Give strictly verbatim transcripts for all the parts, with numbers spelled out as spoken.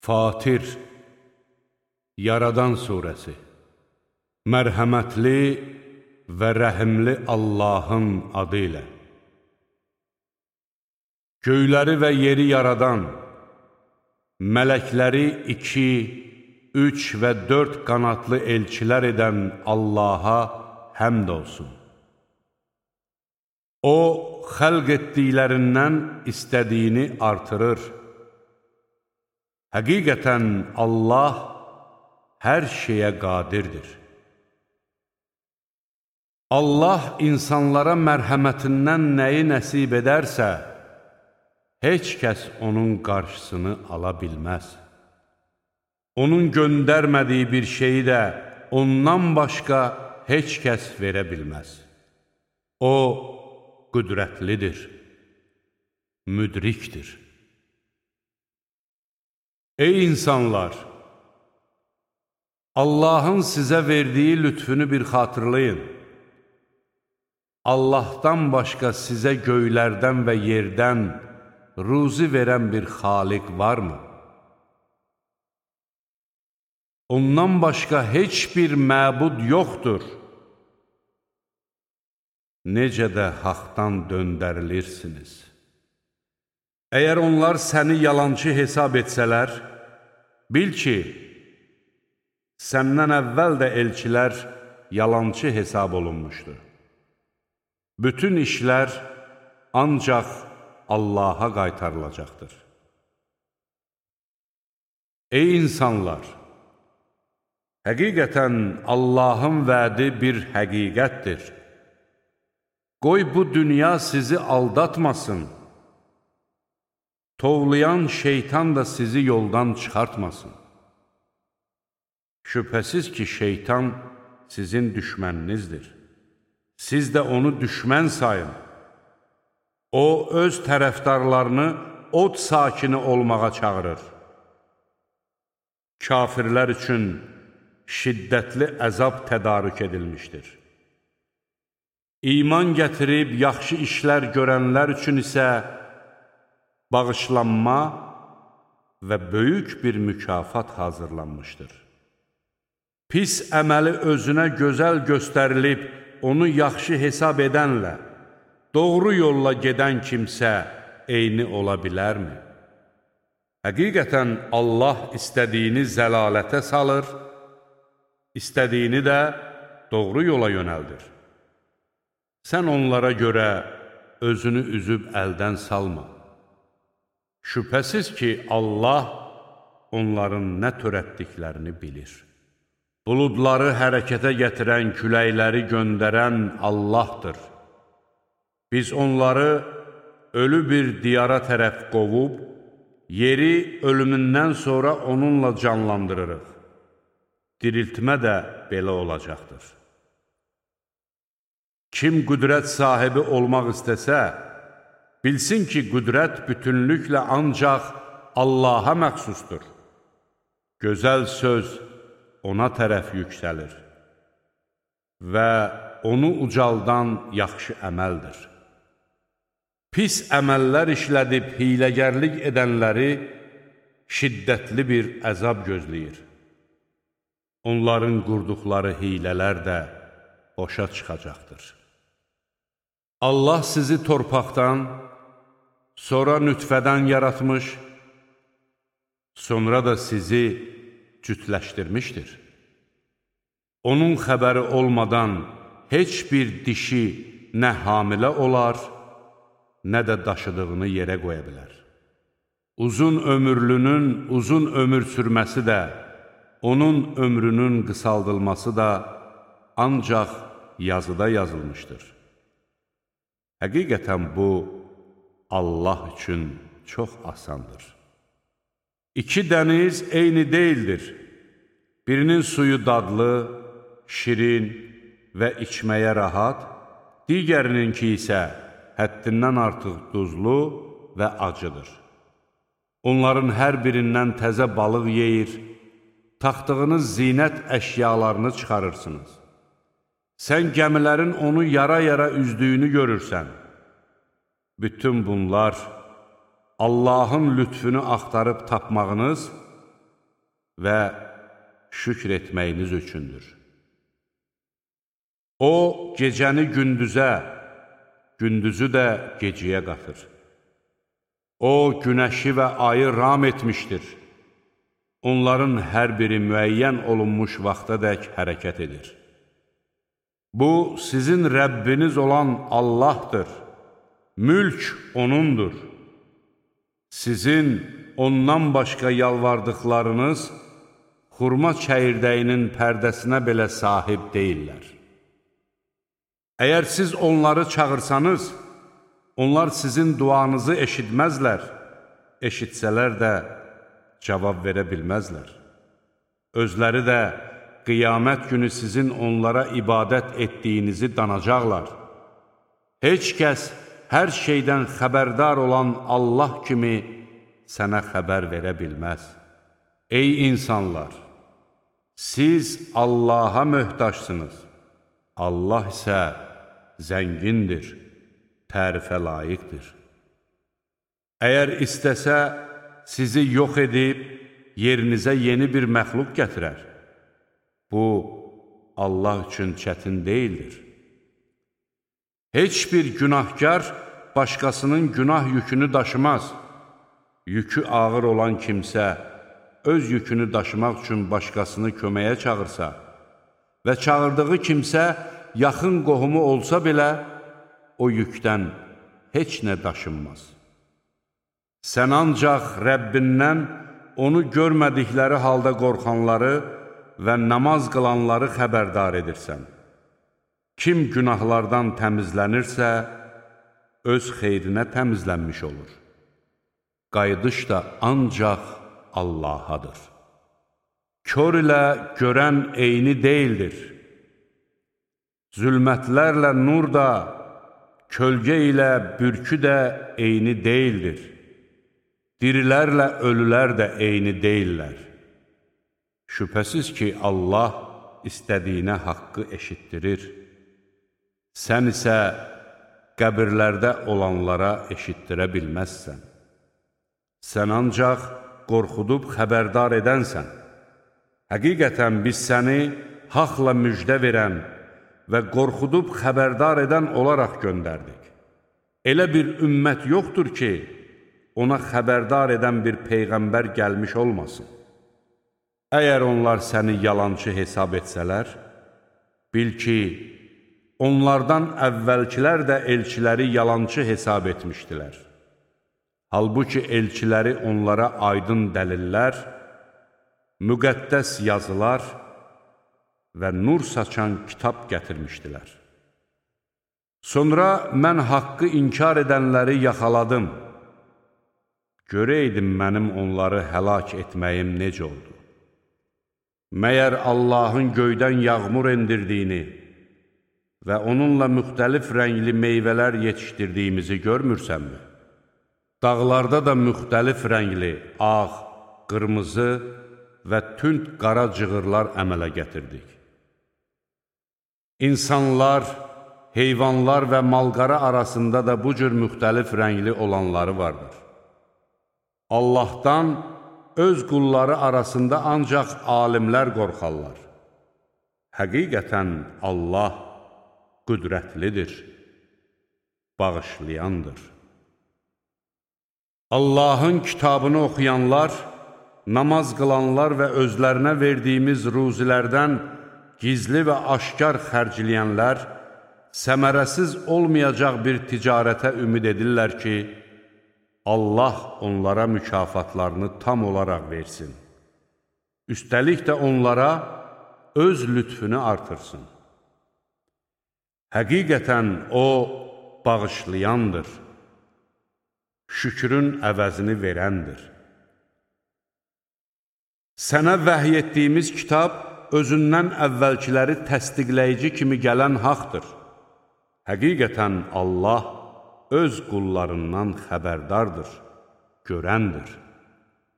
Fatir, Yaradan Suresi. Mərhəmətli və rəhimli Allahın adı ilə. Göyləri və yeri yaradan, mələkləri iki, üç və dörd qanatlı elçilər edən Allaha həmd olsun. O, xəlq etdiklərindən istədiyini artırır. Həqiqətən Allah hər şeyə qadirdir. Allah insanlara mərhəmətindən nəyi nəsib edərsə, heç kəs onun qarşısını ala bilməz. Onun göndərmədiyi bir şeyi də ondan başqa heç kəs verə bilməz. O, qüdrətlidir, müdrikdir. Ey insanlar! Allahın sizə verdiyi lütfünü bir xatırlayın. Allahdan başqa sizə göylərdən və yerdən ruzi verən bir xaliq varmı? Ondan başqa heç bir məbud yoxdur. Necə də haqdan döndərilirsiniz. Əgər onlar səni yalancı hesab etsələr, bil ki, səndən əvvəl də elçilər yalancı hesab olunmuşdur. Bütün işlər ancaq Allaha qaytarılacaqdır. Ey insanlar! Həqiqətən Allahın vədi bir həqiqətdir. Qoy bu dünya sizi aldatmasın. Tovlayan şeytan da sizi yoldan çıxartmasın. Şübhəsiz ki, şeytan sizin düşməninizdir. Siz də onu düşmən sayın. O, öz tərəfdarlarını od sakini olmağa çağırır. Kafirlər üçün şiddətli əzab tədarük edilmişdir. İman gətirib yaxşı işlər görənlər üçün isə bağışlanma və böyük bir mükafat hazırlanmışdır. Pis əməli özünə gözəl göstərilib, onu yaxşı hesab edənlə, doğru yolla gedən kimsə eyni ola bilərmi? Həqiqətən Allah istədiyini zəlalətə salır, istədiyini də doğru yola yönəldir. Sən onlara görə özünü üzüb əldən salma. Şübhəsiz ki, Allah onların nə törətdiklərini bilir. Buludları hərəkətə gətirən, küləkləri göndərən Allahdır. Biz onları ölü bir diyara tərəf qovub, yeri ölümündən sonra onunla canlandırırıq. Diriltmə də belə olacaqdır. Kim qüdrət sahibi olmaq istəsə, bilsin ki, qüdrət bütünlüklə ancaq Allaha məxsusdur. Gözəl söz ona tərəf yüksəlir və onu ucaldan yaxşı əməldir. Pis əməllər işlədib hiləgərlik edənləri şiddətli bir əzab gözləyir. Onların qurduqları hilələr də boşa çıxacaqdır. Allah sizi torpaqdan, sonra nütfədən yaratmış, sonra da sizi cütləşdirmişdir. Onun xəbəri olmadan heç bir dişi nə hamilə olar, nə də daşıdığını yerə qoya bilər. Uzun ömürlünün uzun ömür sürməsi də, onun ömrünün qısaldılması da ancaq yazıda yazılmışdır. Həqiqətən bu, Allah üçün çox asandır. İki dəniz eyni deyildir. Birinin suyu dadlı, şirin və içməyə rahat, digərininki isə həddindən artıq duzlu və acıdır. Onların hər birindən təzə balıq yeyir, taxdığınız zinət əşyalarını çıxarırsınız. Sən gəmilərin onu yara-yara üzdüyünü görürsən. Bütün bunlar Allahın lütfünü axtarıb tapmağınız və şükr etməyiniz üçündür. O, gecəni gündüzə, gündüzü də gecəyə qatır. O, günəşi və ayı ram etmişdir. Onların hər biri müəyyən olunmuş vaxtadək hərəkət edir. Bu, sizin Rəbbiniz olan Allahdır. Mülk O'nundur. Sizin ondan başqa yalvardıqlarınız xurma çəyirdəyinin pərdəsinə belə sahib deyirlər. Əgər siz onları çağırsanız, onlar sizin duanızı eşitməzlər, eşitsələr də cavab verə bilməzlər. Özləri də qiyamət günü sizin onlara ibadət etdiyinizi danacaqlar. Heç kəs hər şeydən xəbərdar olan Allah kimi sənə xəbər verə bilməz. Ey insanlar! Siz Allaha möhtaçsınız. Allah isə zəngindir, tərifə layiqdir. Əgər istəsə, sizi yox edib, yerinizə yeni bir məxluq gətirər. Bu, Allah üçün çətin deyildir. Heç bir günahkar başqasının günah yükünü daşımaz. Yükü ağır olan kimsə, öz yükünü daşımaq üçün başqasını köməyə çağırsa və çağırdığı kimsə yaxın qohumu olsa belə, o yükdən heç nə daşınmaz. Sən ancaq Rəbbindən onu görmədikləri halda qorxanları və namaz qılanları xəbərdar edirsən. Kim günahlardan təmizlənirsə, öz xeyrinə təmizlənmiş olur. Qayıdış da ancaq Allahadır. Kör ilə görən eyni deyildir. Zülmətlərlə nur da, kölgə ilə bürkü də eyni deyildir. Dirilərlə ölülər də eyni deyillər. Şübhəsiz ki, Allah istədiyinə haqqı eşitdirir. Sən isə qəbirlərdə olanlara eşitdirə bilməzsən. Sən ancaq qorxudub xəbərdar edənsən. Həqiqətən biz səni haqla müjdə verən və qorxudub xəbərdar edən olaraq göndərdik. Elə bir ümmət yoxdur ki, ona xəbərdar edən bir peyğəmbər gəlmiş olmasın. Əgər onlar səni yalancı hesab etsələr, bil ki, onlardan əvvəlkilər də elçiləri yalancı hesab etmişdilər. Halbuki elçiləri onlara aydın dəlillər, müqəddəs yazılar və nur saçan kitab gətirmişdilər. Sonra mən haqqı inkar edənləri yaxaladım. Görəydim mənim onları həlak etməyim necə oldu? Məyər Allahın göydən yağmur endirdiyini və onunla müxtəlif rəngli meyvələr yetişdirdiyimizi görmürsənmi? Dağlarda da müxtəlif rəngli, ağ, qırmızı və tünd qara cığırlar əmələ gətirdik. İnsanlar, heyvanlar və malqara arasında da bu cür müxtəlif rəngli olanları vardır. Allahdan öz qulları arasında ancaq alimlər qorxarlar. Həqiqətən Allah qüdrətlidir, bağışlayandır. Allahın kitabını oxuyanlar, namaz qılanlar və özlərinə verdiyimiz ruzilərdən gizli və aşkar xərcləyənlər səmərəsiz olmayacaq bir ticarətə ümid edirlər ki, Allah onlara mükafatlarını tam olaraq versin. Üstəlik də onlara öz lütfünü artırsın. Həqiqətən O bağışlayandır, şükrün əvəzini verəndir. Sənə vəhy etdiyimiz kitab özündən əvvəlkiləri təsdiqləyici kimi gələn haqdır. Həqiqətən Allah öz qullarından xəbərdardır, görəndir.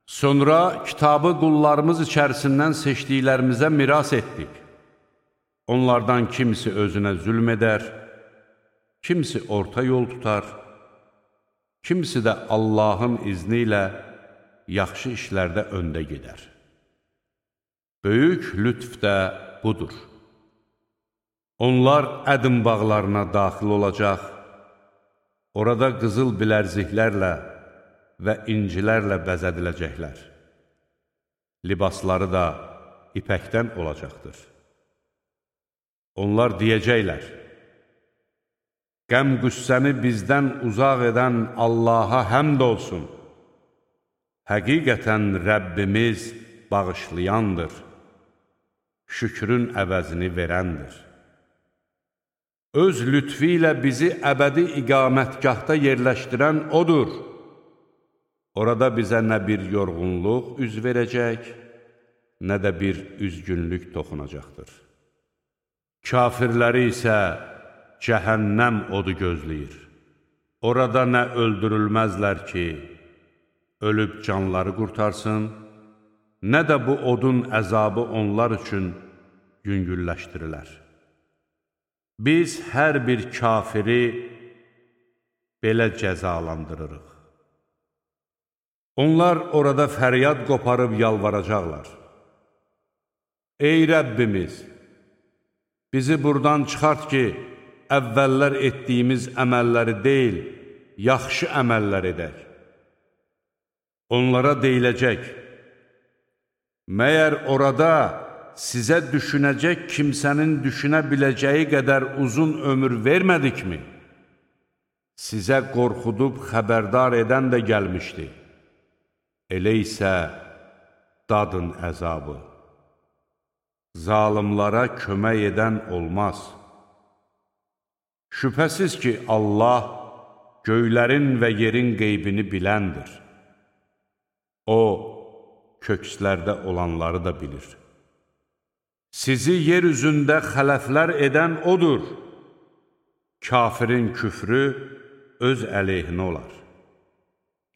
Sonra kitabı qullarımız içərisindən seçdiklərimizə miras etdik. Onlardan kimisi özünə zülm edər, kimisi orta yol tutar, kimisi də Allahın izni ilə yaxşı işlərdə öndə gedər. Böyük lütf də budur. Onlar Ədin bağlarına daxil olacaq, orada qızıl bilərziklərlə və incilərlə bəzədiləcəklər. Libasları da ipəkdən olacaqdır. Onlar deyəcəklər, qəm-qüssəni bizdən uzaq edən Allaha həmd olsun. Həqiqətən Rəbbimiz bağışlayandır, şükrün əvəzini verəndir. Öz lütfi ilə bizi əbədi iqamətgahda yerləşdirən odur. Orada bizə nə bir yorğunluq üz verəcək, nə də bir üzgünlük toxunacaqdır. Kafirləri isə cəhənnəm odu gözləyir. Orada nə öldürülməzlər ki, ölüb canları qurtarsın, nə də bu odun əzabı onlar üçün yüngülləşdirilər. Biz hər bir kafiri belə cəzalandırırıq. Onlar orada fəryad qoparıb yalvaracaqlar. Ey Rəbbimiz, bizi buradan çıxart ki, əvvəllər etdiyimiz əməlləri deyil, yaxşı əməllər edək. Onlara deyiləcək, məyər orada sizə düşünəcək kimsənin düşünə biləcəyi qədər uzun ömür vermədikmi? Sizə qorxudub xəbərdar edən də gəlmişdi. Elə isə dadın əzabı. Zalimlara kömək edən olmaz. Şübhəsiz ki, Allah göylərin və yerin qeybini biləndir. O, kökslərdə olanları da bilir. Sizi yer üzündə xələflər edən odur. Kafirin küfrü öz əleyhinə olar.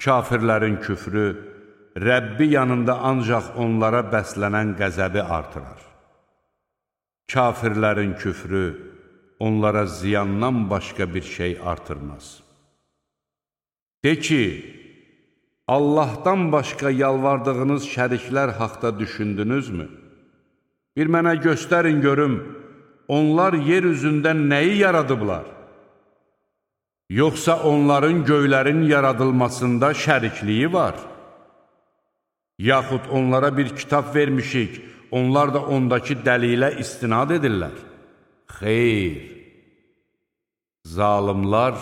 Kafirlərin küfrü Rəbbi yanında ancaq onlara bəslənən qəzəbi artırar. Kafirlərin küfrü onlara ziyandan başqa bir şey artırmaz. De ki, Allahdan başqa yalvardığınız şəriklər haqda düşündünüzmü? Bir mənə göstərin görüm, onlar yer üzündə nəyi yaradıblar? Yoxsa onların göylərin yaradılmasında şərikliyi var? Yaxud onlara bir kitab vermişik, onlar da ondakı dəlilə istinad edirlər. Xeyr! Zalimlar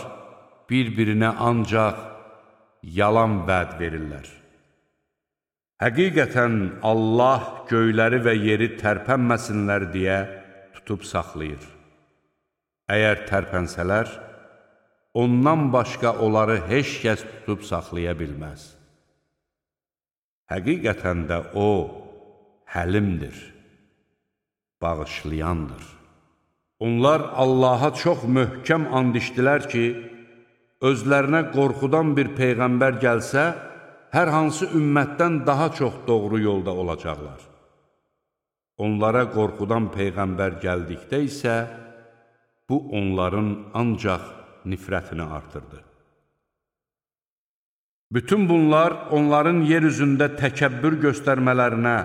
bir-birinə ancaq yalan vəd verirlər. Həqiqətən Allah göyləri və yeri tərpənməsinlər deyə tutub saxlayır. Əgər tərpənsələr, ondan başqa onları heç kəs tutub saxlaya bilməz. Həqiqətən də O, həlimdir, bağışlayandır. Onlar Allaha çox möhkəm and içdilər ki, özlərinə qorxudan bir peyğəmbər gəlsə, hər hansı ümmətdən daha çox doğru yolda olacaqlar. Onlara qorxudan peyğəmbər gəldikdə isə, bu onların ancaq nifrətini artırdı. Bütün bunlar onların yer üzündə təkəbbür göstərmələrinə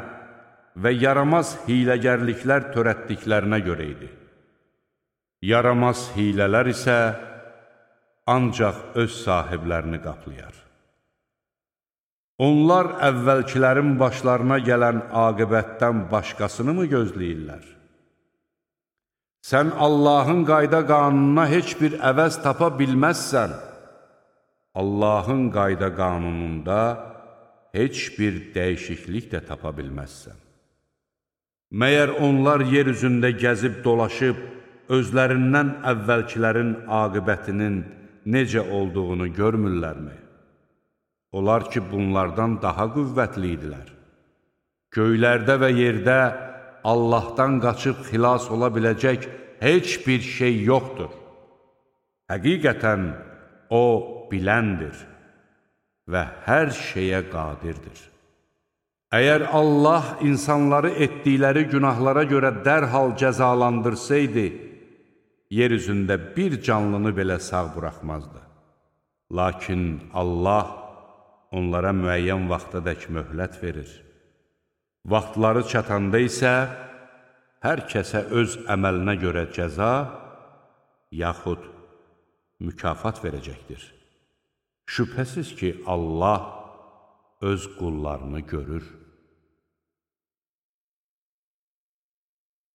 və yaramaz hiləgərliklər törətdiklərinə görə idi. Yaramaz hilələr isə ancaq öz sahiblərini qaplayar. Onlar əvvəlkilərin başlarına gələn aqibətdən başqasını mı gözləyirlər? Sən Allahın qayda qanununa heç bir əvəz tapa bilməzsən. Allahın qayda qanununda heç bir dəyişiklik də tapa bilməzsən. Məyər onlar yer üzündə gəzib dolaşıb, özlərindən əvvəlkilərin aqibətinin necə olduğunu görmürlərmi? Onlar ki, bunlardan daha qüvvətli idilər. Göylərdə və yerdə Allahdan qaçıb xilas ola biləcək heç bir şey yoxdur. Həqiqətən O biləndir və hər şeyə qadirdir. Əgər Allah insanları etdikləri günahlara görə dərhal cəzalandırsaydı, yer üzündə bir canlını belə sağ buraxmazdı. Lakin Allah onlara müəyyən vaxtadək möhlət verir. Vaxtları çatanda isə hər kəsə öz əməlinə görə cəza, yaxud mükafat verəcəkdir. Şübhəsiz ki, Allah öz qullarını görür.